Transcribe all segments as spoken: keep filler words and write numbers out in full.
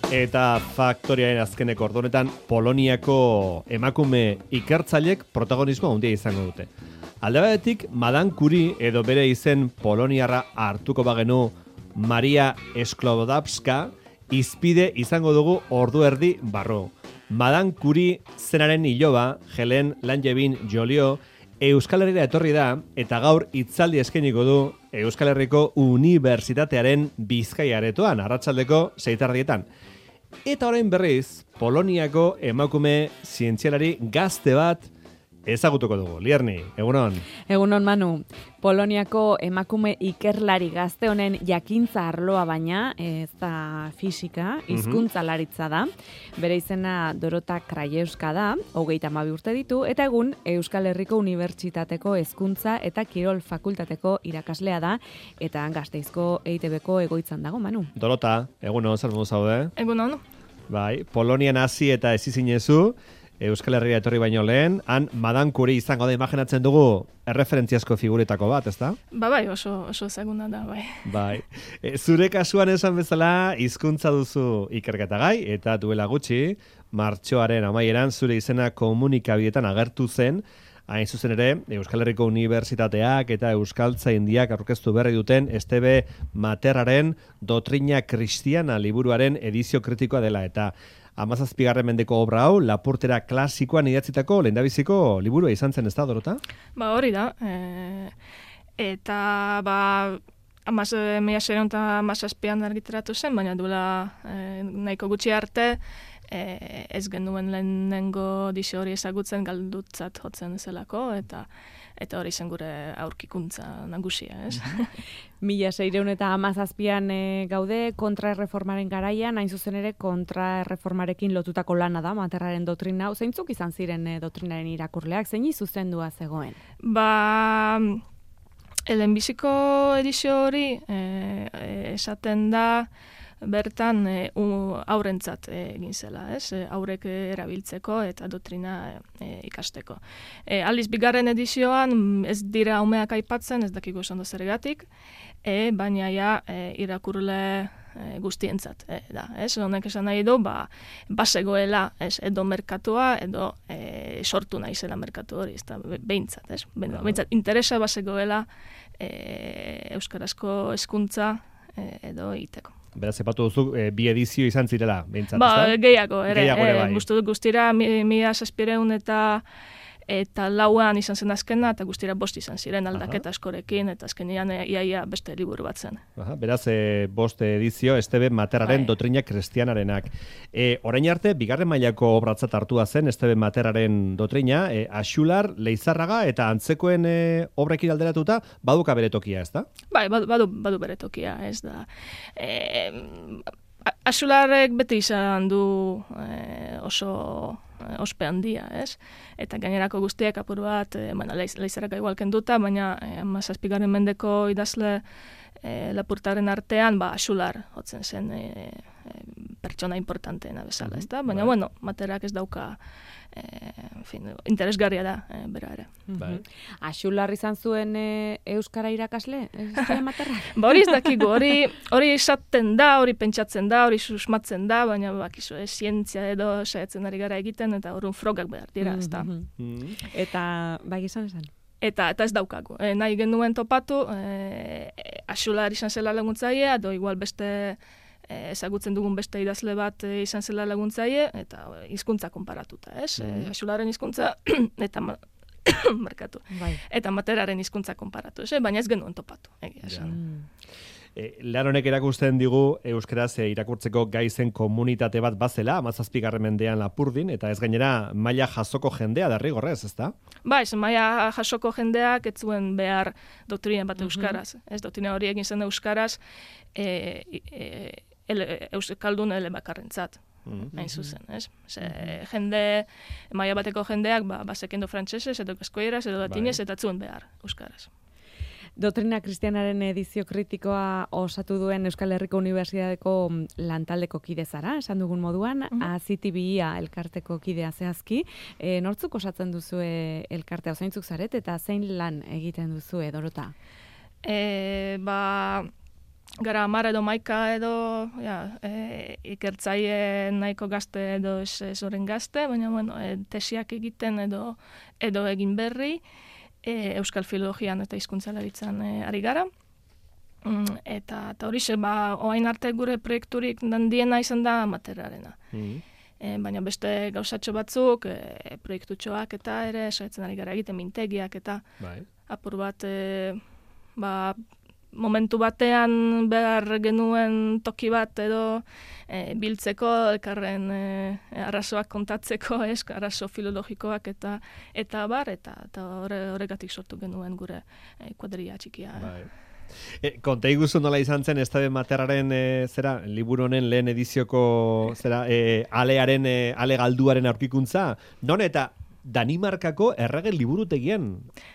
Eta faktoriaren azkeneko ordunetan Poloniako emakume ikertzailek protagonismo handia izango dute. Alde batetik, Madame Curie edo bere izen poloniarra hartuko bagenu Maria Sklodowska izpide izango dugu ordu erdi barru. Madame Curie zenaren iloba, Helen Langevin Joliot, Euskal Herrira etorri da eta gaur hitzaldi eskainiko du Euskal Herriko Unibertsitatearen Bizkaia aretoan, arratsaldeko seitardietan. Eta orain berriz, Poloniako emakume zientzialari gazte bat ezagutuko dugu. Lierni, egunon. Egunon, Manu. Poloniako emakume ikerlari gazte honen jakintza arloa baina, ez da fisika, hizkuntzalaritza da. Bere izena Dorota Krajewska da, hogeita hamabi urte ditu, eta egun Euskal Herriko Unibertsitateko Hezkuntza eta Kirol Fakultateko irakaslea da, eta Gasteizko E I T Bko egoitzan dago, Manu. Dorota, egunon, zer modu zaude? Egunon. Bai, Polonian hasi eta ez izinezu, Euskal Herria etorri baino lehen, han Madame Curie izango da, imaginatzen dugu erreferentziazko figuretako bat, ezta? Ba bai, oso, oso ezaguna da, bai. Bai. E, zure kasuan esan bezala, hizkuntza duzu ikerketagai, eta duela gutxi, martxoaren amaieran zure izena komunikabietan agertu zen, hain zuzen ere, Euskal Herriko Unibertsitateak eta Euskaltzaindiak aurkeztu berri duten Estebe Materraren Dotrina Kristiana liburuaren edizio kritikoa dela, eta hamazazpigarren mendeko obra hau, Lapurtera klasikoan idatzitako lehendabiziko liburua izan zen, ez da, Dorota? Ba hori da, e, eta ba, amaz, mila seiehun eta hamazazpian argitaratu zen, baina duela e, nahiko gutxi arte, e, ez genuen lehenengo edizio hori ezagutzen galdutzat jotzen zelako, eta eta hori zen gure aurkikuntza nagusia, ez? Mila seiehun eta hamazazpian e, gaude kontraerreformaren garaian, hain zuzen ere kontraerreformarekin lotutako lana da, Materraren dotrina hau. Zeintzuk izan ziren e, doktrinaren irakurleak, zein zuzendua zegoen? Ba, lehenbiziko edizio hori e, esaten da, bertan e, aurrentzat egin zela, ez? E, aurrek erabiltzeko eta doktrina e, ikasteko. E, aldiz, bigarren edizioan ez dira umeak aipatzen, ez dakigu esan dozergatik, e, baina ja e, irakurle e, guztientzat e, da, ez? Honek esan nahi du, ba, basegoela, ez? Edo merkatua, edo e, sortu nahi zela merkatu hori, ez da, behintzat, ez? Behintzat, interesa basegoela e, euskarazko hezkuntza e, edo iteko. Beraz, epatu duzu, e, bi edizio izan zirela, behintzat, ba, ezta? Gehiago, ere. Gehiago ere, bai. E, Guztu guztira, mila zazpireun eta eta lauan izan zen azkena, eta guztira bost izan ziren aldaketa askorekin, eta azkenean iaia beste liburu bat zen. Aha, beraz, e, bost edizio, Estebe Materraren Bai. Dotrina Kristianarenak. E, orain arte, bigarren mailako obratzat hartua zen Estebe Materraren dotrina, e, Axular, Leizarraga eta antzekoen e, obrekin alderatuta, baduka bere tokia, ez da? Bai, badu, badu, badu bere tokia, ez da. E, Axularrek beti izan du e, oso ospe handia, ez? Eta gainerako guztiak apur bat, e, bueno, Leizarraga igual kenduta, baina e, mazazpigarren mendeko idazle e, Lapurtaren artean, ba, Axular jotzen zen e, e, pertsona importanteena bezala, ez da? Baina, bai. bueno, Materrak ez dauka e, en fin, interesgarria da e, bera ere. Bai. Axular izan zuen e, Euskara irakasle? Estebe Materrak? Ba hori ez dakigu, hori, hori esaten da, hori pentsatzen da, hori susmatzen da, baina bakizu, e, zientzia edo saiatzen ari gara egiten, eta horren frogak behar dira, ez da. Mm. Eta, bai izan esan? Eta, eta ez daukagu. E, nahi genuen topatu, e, Axular izan zela laguntzaile, edo igual beste e, ezagutzen dugun beste idazle bat e, izan zela laguntzaile, eta hizkuntza konparatuta, ez? Mm. E, Axularen hizkuntza eta markatu. Bai. Eta Materraren hizkuntza konparatu, ez? Baina ez genuen topatu, egia esan. Mm. E, lan honek erakusten digu euskaraz e, irakurtzeko gaizen komunitate bat bazela, hamazazpigarren mendean Lapurdin, eta ez gainera maila jasoko jendea derrigorrez, ezta? Ba, ez maila jasoko jendeak ez zuen behar doktrina bat euskaraz. Ez doktrina hori egin zen euskaraz, e, e, ele, euskaldun ele bakarrentzat. Hain zuzen, ez? Ze, jende, maila bateko jendeak, ba, bazekendo frantsesez, edo eskoieraz, edo latinez, eta ez zuen behar euskaraz. Dotrina Kristianaren edizio kritikoa osatu duen Euskal Herriko Unibertsitateko lantaldeko kide zara, esan dugun moduan, uh-huh. Azitibia elkarteko kidea zehazki. E, nortzuk osatzen duzue elkartea, zeintzuk zaret, eta zein lan egiten duzue, Dorota? E, ba, gara hamar edo maika edo ja, e, ikertzaile nahiko gazte edo ez, ez horren gazte, baina bueno, e, tesiak egiten edo edo egin berri, e, Euskal Filologian eta hizkuntzalaritzan e, ari gara. Mm, eta eta horixe, ba, orain arte gure proiekturik handiena izan da materrarena. Mm. E, baina beste gauzatxo batzuk, e, proiektutxoak eta ere, saiatzen ari gara egiten mintegiak eta Bai. apur bat, e, ba, momentu batean behar genuen toki bat edo e, biltzeko, elkarren e, arrazoak kontatzeko, ez, arrazo filologikoak eta eta bar, eta, eta horregatik sortu genuen gure e, kuadrilla txikia. Bai. E, konta iguzu nola izan zen Esteban Materraren e, zera, liburu honen lehen edizioko zera, e, alearen, e, ale galduaren aurkikuntza, non eta Danimarkako errege liburutegian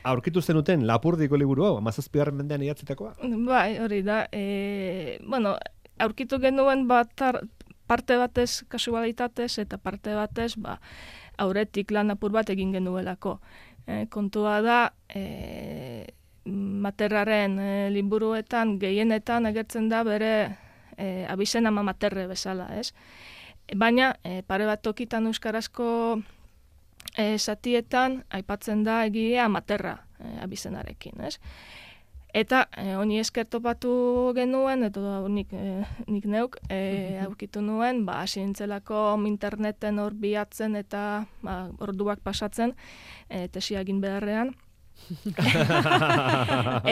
aurkitu zenuten Lapurdiko liburu hau, hamazazpigarren mendean idatzitakoa? Bai, hori da. E, bueno, aurkitu genuen batar, parte batez kasualitatez eta parte batez ba, aurretik lan apur bat egin genuelako. E, kontua da, e, Materraren e, liburuetan gehienetan agertzen da bere e, abizen ama Materre bezala, ez? Baina, e, pare bat tokitan euskarazko E, satietan aipatzen da egilea Materra e, abizenarekin, ez? Eta e, honi esker topatu genuen, eta nik, e, nik neuk e, aurkitu nuen, ba, hasi nintzelako interneten hor bilatzen eta ba, orduak pasatzen, e, tesia egin beharrean.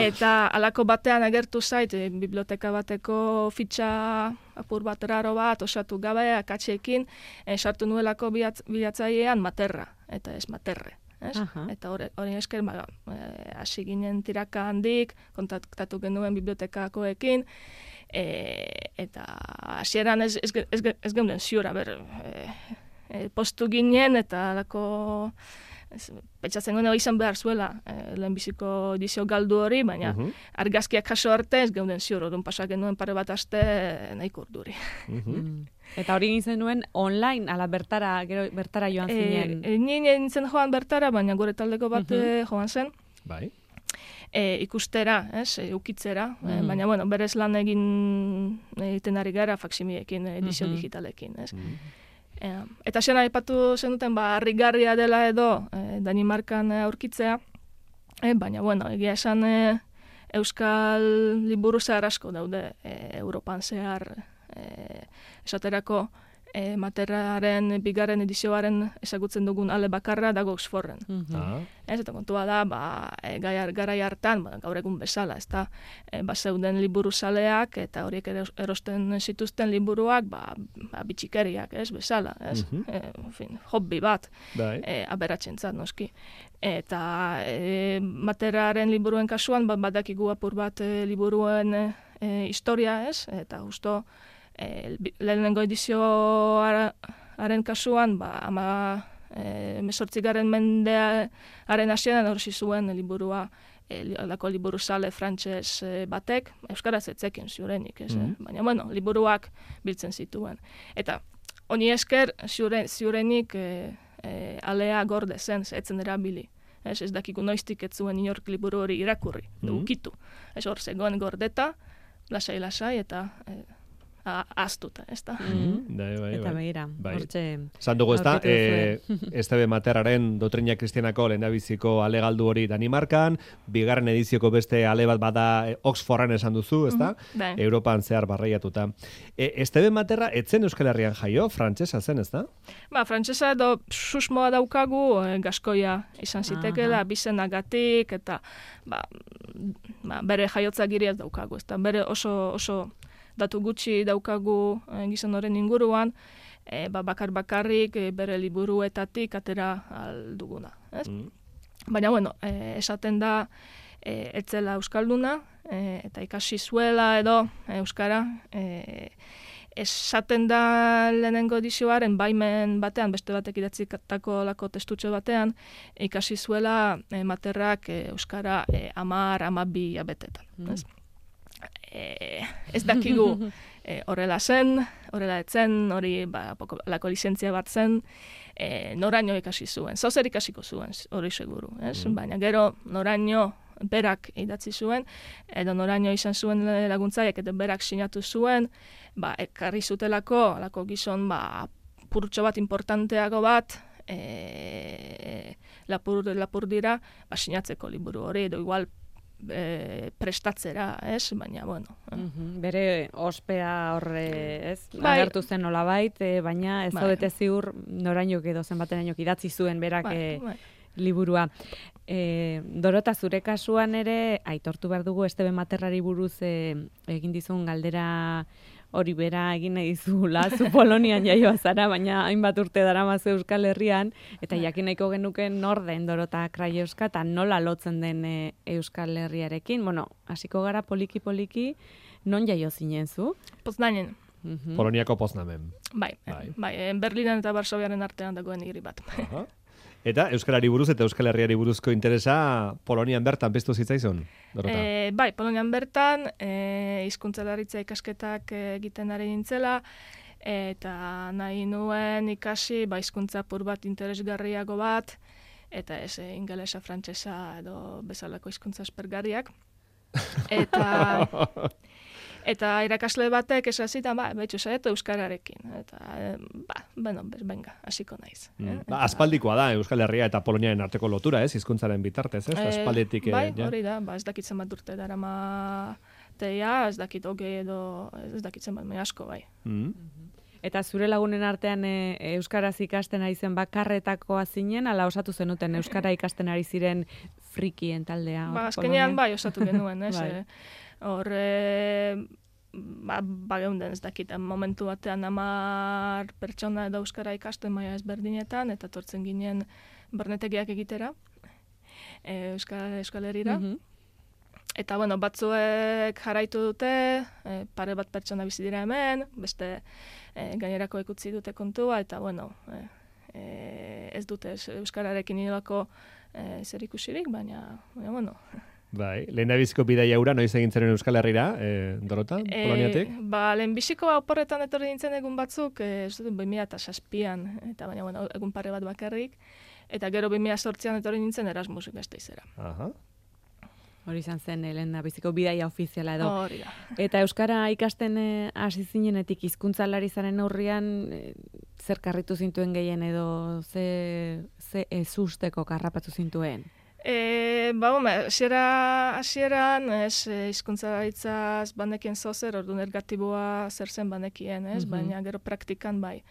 Eta halako batean agertu zait, e, biblioteka bateko fitxa apur bat raro bat, osatu gabe, akatxeekin, e, sartu nuelako bilatzailean Materra, eta ez Materre. Ez? Eta hori esker, ba, e, hasi ginen tiraka handik, kontaktatu genuen bibliotekakoekin, e, eta hasieran ez, ez, ez, ez geunden ziura, ber, e, e, postu ginen, eta halako pentsatzen guen izan behar zuela eh, lehenbiziko edizio galdu hori, baina uh -huh. argazkiak jaso arte ez geunden ziur, orduan pasak genuen pare bat aste nahiko urduri. Uh -huh. mm. Eta hori egin zenuen online, ala bertara, gero bertara joan zinen? E, e, Nien nintzen joan bertara, baina gure taldeko bat uh -huh. joan zen. Bai. E, ikustera, ez, e, ukitzera, uh -huh. e, baina bueno, berez lan egin egiten ari gara faksimiekin, edizio uh -huh. digitalekin, ez. Uh -huh. E, eta xena aipatu zenuten, ba, harrigarria dela edo e, Danimarkan aurkitzea, e, baina, bueno, egia esan e, Euskal liburu zehar asko daude e, Europan zehar, e, esaterako e, Materraren bigarren edizioaren ezagutzen dugun ale bakarra dago Oxforden. Mm-hmm. Ah. Ez, eta kontua da, ba, e, garai hartan, ba, gaur egun bezala, ez da, e, ba, zeuden liburu zaleak, eta horiek erosten zituzten liburuak, ba, ba bitxikeriak, ez, bezala, ez, Mm-hmm. e, en fin, hobby bat, Bai. e, aberatzentzat, noski. Eta e, Materraren liburuen kasuan, ba, badakigu apur bat e, liburuen e, historia, ez, eta justo, e, lehenengo edizioaren kasuan, ba, ama E, mesortzigaren mendearen hasieran hori zuen liburua, e, alako liburu sale frantses e, batek, euskaraz etzekin ziurenik, ez, Mm-hmm. eh? Baina, bueno, liburuak biltzen zituen. Eta, honi esker, ziure, ziurenik e, e, alea gorde zen, etzen erabili. Ez, ez dakigu noiztik ez zuen inork liburu hori irakurri, Mm-hmm. ukitu. Ez hor zegoen gordeta, lasai-lasai, eta e, aztuta, ez da. Mm. Bai, bai, Eta bai. begira, Bai. hortxe... Zan dugu ez da, aurkitu e, duzue. Esteban Materraren Doktrina Kristianako lehendabiziko ale galdu hori Danimarkan, bigarren edizioko beste ale bat bada e, Oxforden esan duzu, ez da? Mhm, bai. Europan zehar barreiatuta. E, Esteban Materra etzen Euskal Herrian jaio, frantsesa zen, ez da? Ba, frantsesa edo susmoa daukagu, e, gaskoia izan zitekeela, bizenagatik, eta ba, ba, bere jaiotza giriaz daukagu, ez da, bere oso, oso datu gutxi daukagu e, gizon horren inguruan, e, ba, bakar bakarrik e, bere liburuetatik atera alduguna, ez? Mm. Baina, bueno, e, esaten da, e, etzela euskalduna, e, eta ikasi zuela edo e, euskara, e, esaten da lehenengo edizioaren baimen batean, beste batek idatzikatako lako testutxo batean, ikasi zuela e, Materrak e, euskara e, amar, amabi abetetan. Ez? E, ez dakigu e, horrela zen, horrela etzen, hori ba, poko, lako lizentzia bat zen, e, noraino ikasi zuen, zauzer ikasiko zuen, hori seguru, ez? Mm. Baina gero noraino berak idatzi zuen, edo noraino izan zuen laguntzaiek, eta berak sinatu zuen, ba, ekarri zutelako, alako gizon, ba, purtxo bat importanteago bat, e, lapur, lapur dira, ba, sinatzeko liburu hori, edo igual e, prestatzera, ez? Baina, bueno. Mm-hmm. Bere ospea horre, ez? Bai. Agertu zen nolabait, e, baina ez Bai. zaudete ziur norainok edo zenbatenainok idatzi zuen berak Bai, e, bai. liburua. E, Dorota, zure kasuan ere, aitortu behar dugu Estebe Materrari buruz e, egin dizun galdera hori bera egin nahi dizula, zu Polonian jaioa zara, baina hainbat urte daramazu Euskal Herrian, eta jakin nahiko genuke nor den Dorota Krajewska, eta nola lotzen den e, Euskal Herriarekin. Bueno, hasiko gara poliki-poliki, non jaio zinen zu? Poznanen. Mhm. Poloniako Poznamen. Bai, Bai. bai, bai, Berlinen eta Varsoviaren artean dagoen hiri bat. Aha. Eta Euskarari buruz eta Euskal Herriari buruzko interesa Polonian bertan piztu zitzaizun, Dorota? E, bai, Polonian bertan, e, hizkuntzalaritza ikasketak egiten ari nintzela, eta nahi nuen ikasi, ba, hizkuntza pur bat interesgarriago bat, eta ez e, ingelesa, frantsesa edo bezalako hizkuntza aspergarriak. Eta... Eta irakasle batek esan zitan, ba, betxu zaetu euskararekin. Eta, eh, ba, bueno, benga, hasiko naiz. Mm. Eh? Ba, aspaldikoa da Euskal Herria eta Poloniaren arteko lotura, ez? Hizkuntzaren bitartez, ez? Eh, Aspalditik... bai, ja. hori da, ba, ez dakitzen bat urte darama teia, ez dakit hogei edo, ez dakitzen bat, asko bai. Mm. Eta zure lagunen artean e, euskaraz ikasten ari zen bakarretakoa zinen, ala osatu zenuten euskara ikasten ari ziren frikien taldea? Ba, hor azkenean Polonian? bai osatu genuen, ez? Bai. eh? Hor, e, ba, ba geunden ez dakit, momentu batean hamar pertsona edo euskara ikasten maila ezberdinetan, eta tortzen ginen barnetegiak egitera, e, Euskal, Euskal Herrira. Mhm. Eta, bueno, batzuek jarraitu dute, e, pare bat pertsona bizi dira hemen, beste e, gainerako ekutzi dute kontua, eta, bueno, e, e, ez dute ez, euskararekin inolako e, zer ikusirik, baina, baina, bueno. Bai, lehendabiziko bidaia hura noiz egin zen Euskal Herrira, eh, Dorota, Poloniatik? E, ba, lehenbiziko oporretan etorri nintzen egun batzuk, e, ez dut, bi mila zazpian, eta baina, bueno, egun pare bat bakarrik, eta gero bi mila zortzian etorri nintzen Erasmus Gasteizera. Aha. Hori izan zen, lehen biziko bidaia ofiziala edo. Hori da. Eta euskara ikasten eh, hasi zinenetik hizkuntzalari zaren aurrian eh, zer karritu zintuen gehien edo ze, ze ezusteko karrapatu zintuen? E, ba, home, hasiera, hasieran, ez, e, hizkuntzalaritzaz banekien zozer, ordu negatiboa zer zen banekien, ez, Mhm. baina gero praktikan bai.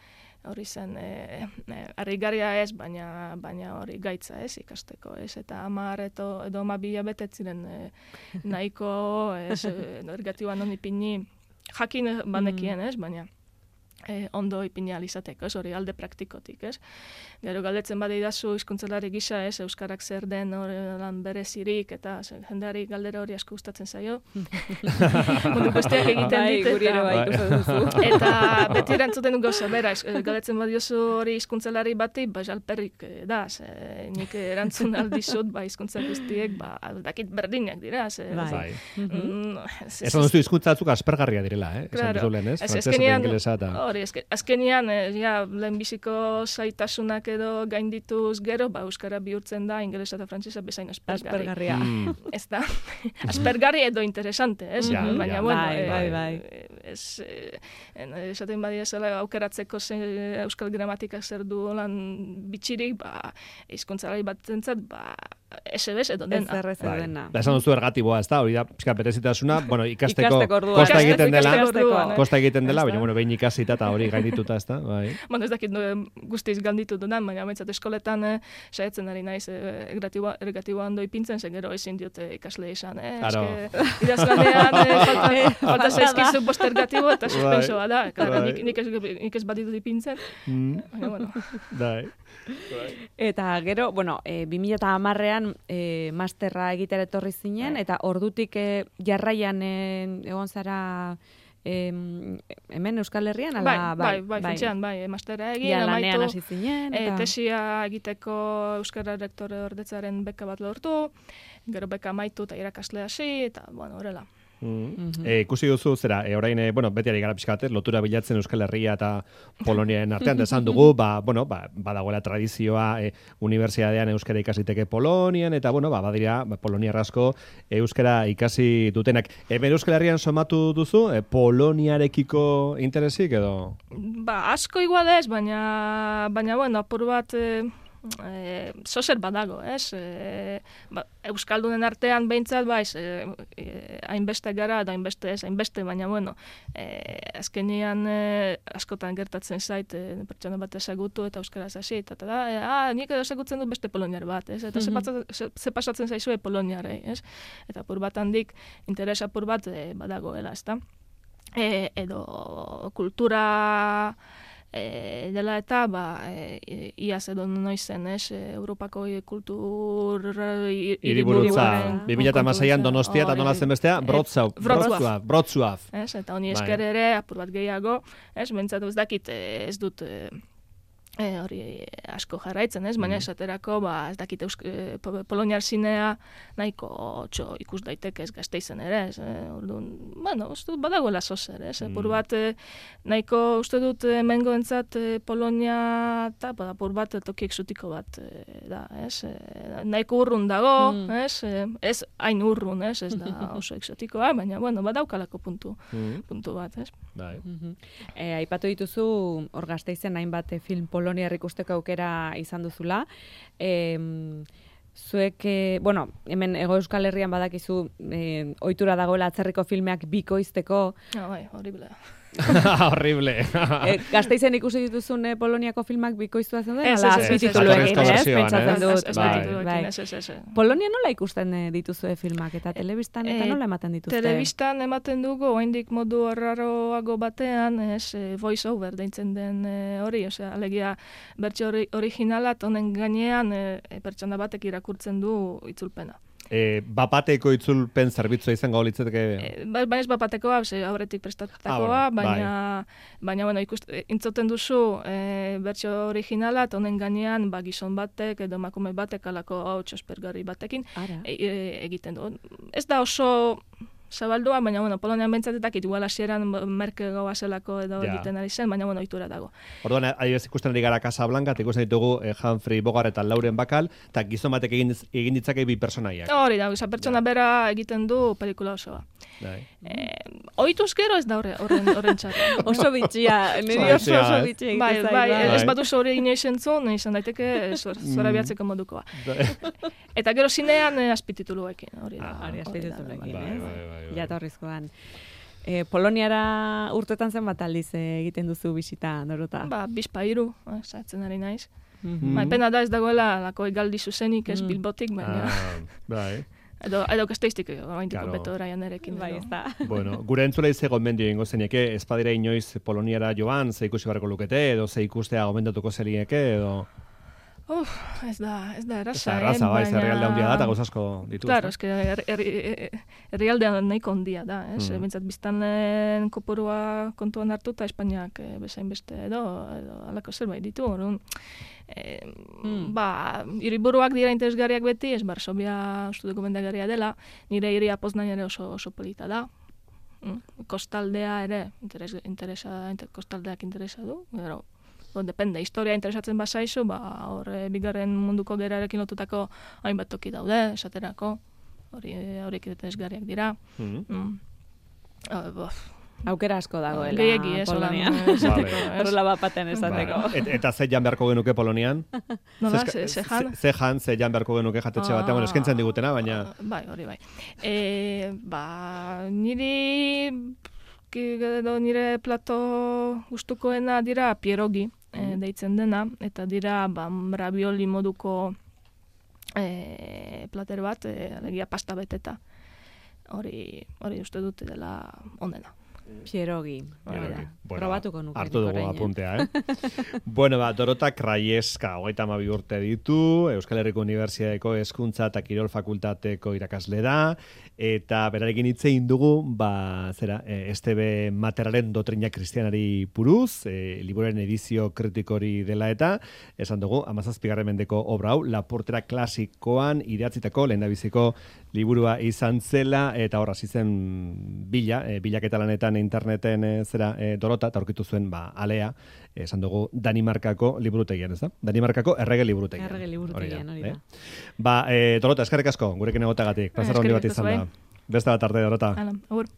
Hori zen, e, e, harrigarria ez, baina baina hori gaitza ez ikasteko, ez, eta hamar edo, edo ama bila betet ziren e, nahiko, ez, e, negatiboa non ipini, jakin banekien, ez, baina e, ondo ipini alizateko, ez, hori alde praktikotik, ez. Gero galdetzen badeidazu hizkuntzelari gisa, ez, euskarak zer den hori lan berezirik, eta ze, jendeari galdera hori asko gustatzen zaio. Mundu guztiak egiten Bai, dit, guri ere eta, bai, ikusten duzu. eta beti erantzuten gauza, bera, ez, galdetzen badiozu hori hizkuntzelari bati, ba, jalperrik eh, da, ze, nik erantzun aldizut, ba, hizkuntza guztiek, ba, dakit berdinak dira, ze, Bai. Bai. Mhm. Mm, ez- ez- Esan duzu hizkuntza batzuk aspergarria direla, eh? Esan Claro. duzu lehen, ez? Ez, Frantsesa eta azkenean, ingelesa eta... hori, azke- azkenean, eh, ja, lehenbiziko zaitasunak edo gaindituz gero, ba, euskara bihurtzen da, ingelesa eta frantsesa bezain aspergarri. Aspergarria. Mm. Ez da, aspergarri edo interesante, ez? Ja, Baina, ja. bueno, Bai, eh, bai, bai. eh, ez, eh, en- esaten badia zela aukeratzeko ze, euskal gramatikak zer du lan bitxirik, ba, hizkuntzalari batzentzat, ba, esebes edo Ez dena. errez Bai. dena. Da, esan duzu ergatiboa, ez da, hori da, pixka berezitasuna, bueno, ikasteko, Ikasteko orduan. kosta Ikasteko egiten dela, orduan, eh? kosta egiten dela, Ez da. baina, bueno, behin ikasita eta hori gaindituta, ez da, bai. Bueno, ez dakit no, guztiz ganditu dudan, baina behintzat eskoletan eh, saiatzen ari naiz eh, ergatiboa, ergatiboa ondo ipintzen, zen gero ezin diote ikasle izan, eh? Claro. Eske, idazlanean eh, falta, falta Falta zaizkizu da. bost ergatibo eta suspensoa da. Claro, Bai. nik, nik, ez, nik ez baditut ipintzen, Mm, baina, bueno. bai. Eta gero, bueno, e, bi mila hamarrean e, masterra egitera etorri zinen, eta ordutik e, jarraian e, egon zara em, hemen Euskal Herrian, Bai, ala, bai, bai, funtsean, bai, mastera egin, Ja, lanean amaitu, hasi zinen, e, eta... tesia egiteko Euskara rektore ordetzaren beka bat lortu, gero beka amaitu eta irakasle hasi, eta, bueno, horrela. Mm. E, ikusi duzu, zera, e, orain, e, bueno, beti ari gara pixka bat, lotura bilatzen Euskal Herria eta Poloniaren artean, esan dugu, ba, bueno, ba, badagoela tradizioa e, unibertsitatean euskara ikasiteke Polonian, eta, bueno, ba, badira, ba, Poloniar asko euskara ikasi dutenak. Hemen Euskal Herrian somatu duzu, e, Poloniarekiko interesik, edo? Ba, asko igual ez, baina, baina, bueno, apur bat... E... E, zozer badago, ez? E, ba, Euskaldunen artean behintzat, baiz, e, e, hainbeste gara, da hainbeste ez, hainbeste, baina, bueno, e, azkenean e, askotan gertatzen zait, e, pertsona bat ezagutu eta euskaraz hasi, eta da, e, ah, nik edo ezagutzen dut beste poloniar bat, ez? Eta mm-hmm. ze, ze pasatzen zaizue poloniarei, ez? Eta apur bat handik, interesa apur bat e, badagoela, ez da? E, edo kultura... E, dela eta, ba, e, iaz edo noizen, ez, Europako kultur... Hiriburutza, bi mila hamaseian Donostia eta nola zen bestea, Wrocław, Wrocław, Wrocław. Ez, eta honi esker ere, apur bat gehiago, ez, bentsatu ez dakit, ez dut... E, hori asko jarraitzen, ez? Baina esaterako, ba, ez dakite e, poloniar zinea nahiko txo ikus daiteke ez Gasteizen ere, ez? E, orduan, bueno, uste dut badagoela zozer, ez? Mm. Pur bat, e, nahiko uste dut mengoentzat e, Polonia eta, bada, pur bat toki exotiko bat e, da, ez? E, nahiko urrun dago, mm. ez? E, ez hain urrun, ez? Ez da oso exotikoa, baina, bueno, badaukalako puntu, mm. puntu bat, ez? Bai. Mm-hmm. E, aipatu dituzu, hor Gasteizen hainbat film Poloniar ikusteko aukera izan duzula. E, zuek, e, bueno, hemen Hego Euskal Herrian badakizu e, ohitura dagoela atzerriko filmeak bikoizteko. Ah, bai, horrible. Horrible. e, Gasteizen ikusi dituzun e, Poloniako filmak bikoiztua zen den? Ez, ez, ez, azpitituluekin, ez? Pentsatzen dut. Bai. Polonia nola ikusten dituzue filmak eta telebistan eta nola ematen dituzte? Telebistan ematen dugu, oraindik modu arraroago batean, ez, voice over deitzen den hori, osea, alegia bertsio originala honen gainean e, pertsona batek irakurtzen du itzulpena. E, bapateko itzulpen zerbitzua izango litzateke? E, baina ez bapatekoa, aurretik prestatutakoa, ah, baina, bai. baina bueno, ikust, intzoten duzu e, bertsio originala, eta honen gainean ba, gizon batek edo emakume batek alako hau txospergarri batekin e, e, egiten du. Ez da oso zabaldua, baina, bueno, Polonian bentsatetak igual hasieran merke gaua zelako edo ja. egiten ari zen, baina, bueno, ohitura dago. Orduan, adibidez ikusten ari gara Casablanca, eta ikusten ditugu eh, Humphrey Bogart eta Lauren Bacall, eta gizon batek egin, egin ditzake bi pertsonaiak. Hori da, esa pertsona ja. bera egiten du pelikula osoa. Eh, ohituz gero ez da horren horren txarra. Oso bitxia, niri oso oso bitxia egiten bai, zaigu. Bai, bai, ez batu zore inoiz entzun, izan daiteke zora bihatzeko modukoa. Eta gero zinean eh, azpitituluekin, hori da. Ah, hori azpitituluekin, bai, bai, bai. Jatorrizkoan. E, Poloniara urtetan zen bat aldiz egiten duzu bisita, Dorota? Ba, bizpa hiru, zaitzen ari naiz. Mm-hmm. Ba, pena da ez dagoela lako egaldi zuzenik ez mm. Bilbotik, baina... Ah, bai. Edo, edo Gasteiztik, oaintiko claro. beto raian erekin. Bai, ez da. Bueno, gure entzulei ze gomendio ingo zenieke, ez badira inoiz Poloniara joan, ze ikusi barreko lukete, edo ze ikustea gomendatuko zerieke, edo... Uf, ez da, ez da erraza, ez da erraza, bai, baina... herrialde handia da, eta gauzasko ditu. Claro, es que herrialde nahiko handia da, ez? Mm. Bintzat biztanleen kopurua kontuan hartu eta Espainiak bezain beste edo, edo alako zerbait ditu, orduan. E, mm. Ba, hiriburuak dira interesgarriak beti, ez Varsovia uste dugu bendagarria dela, nire hiria Poznań ere oso, oso polita da. Mm. Kostaldea ere, interes, interesa, inter, kostaldeak interesa du, gero, bon, depende, historia interesatzen bazaizu, ba, hor e, bigarren munduko gerarekin lotutako hainbat toki daude, esaterako, hori horiek interesgarriak dira. Mm-hmm. Mm. Oh, aukera asko dagoela Gehiegi, ez, Polonian. Horrela bapaten esateko. Et, eta ze jan beharko genuke Polonian? Nola, ze, ze jan? Ze jan, ze jan beharko genuke jatetxe batean, bueno, eskentzen digutena, baina... Bai, hori bai. E, ba, niri... Edo nire plato gustukoena dira pierogi, e, deitzen dena, eta dira ba, ravioli moduko e, plater bat, e, alegia pasta beteta. Hori, hori uste dute dela onena. Pierogi. Bueno, probatuko nuke. Hartu dugu apuntea, eh? Bueno, ba, Dorota Kraieska, hogeita hamabi urte ditu, Euskal Herriko Unibertsitateko Hezkuntza eta Kirol Fakultateko irakasle da, eta berarekin hitz egin dugu, ba, zera, S T B Materraren dotrina kristianari buruz, e, liburuaren edizio kritikori dela eta, esan dugu, hamazazpigarren mendeko obra hau, Lapurtera klasikoan idatzitako lehendabiziko liburua izan zela, eta hor hasi zen bila, e, bilaketa lanetan interneten e, zera e, Dorota, eta aurkitu zuen ba, alea, esan dugu Danimarkako liburutegian, ez da? Danimarkako errege liburutegian. Errege liburutegian, hori da. Eh? Ba, e, Dorota, eskerrik asko, gurekin egotagatik, plazar handi bat izan da. Beste bat arte, Dorota. Hala, agur.